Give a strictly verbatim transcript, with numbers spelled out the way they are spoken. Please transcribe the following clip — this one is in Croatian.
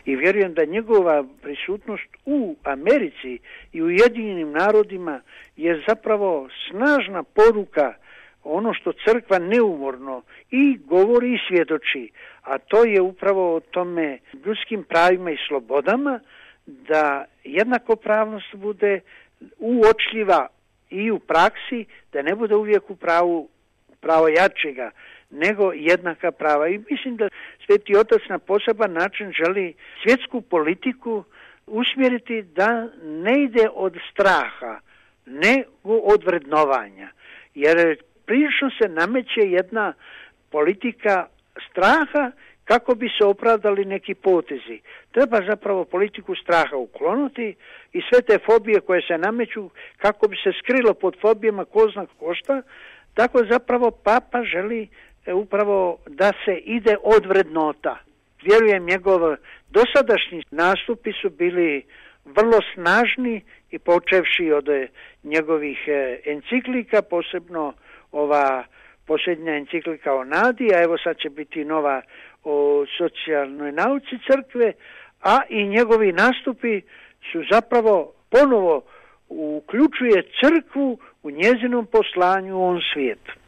i vjerujem da njegova prisutnost u Americi i u Ujedinjenim narodima je zapravo snažna poruka, ono što crkva neumorno i govori i svjedoči, a to je upravo o tome ljudskim pravima i slobodama, da jednakopravnost bude uočljiva i u praksi, da ne bude uvijek u pravu pravo jačega, nego jednaka prava. I mislim da Sveti Otac na poseban način želi svjetsku politiku usmjeriti da ne ide od straha, nego od vrednovanja. Jer prilično se nameće jedna politika straha kako bi se opravdali neki potezi. Treba zapravo politiku straha ukloniti i sve te fobije koje se nameću kako bi se skrilo pod fobijama ko zna košta. Tako zapravo Papa želi upravo da se ide od vrednota. Vjerujem, njegov dosadašnji nastupi su bili vrlo snažni i počevši od njegovih enciklika, posebno ova posljednja enciklika o nadi, a evo sad će biti nova o socijalnoj nauci crkve, a i njegovi nastupi su zapravo ponovo uključuje crkvu u njezinom poslanju u ovom svijetu.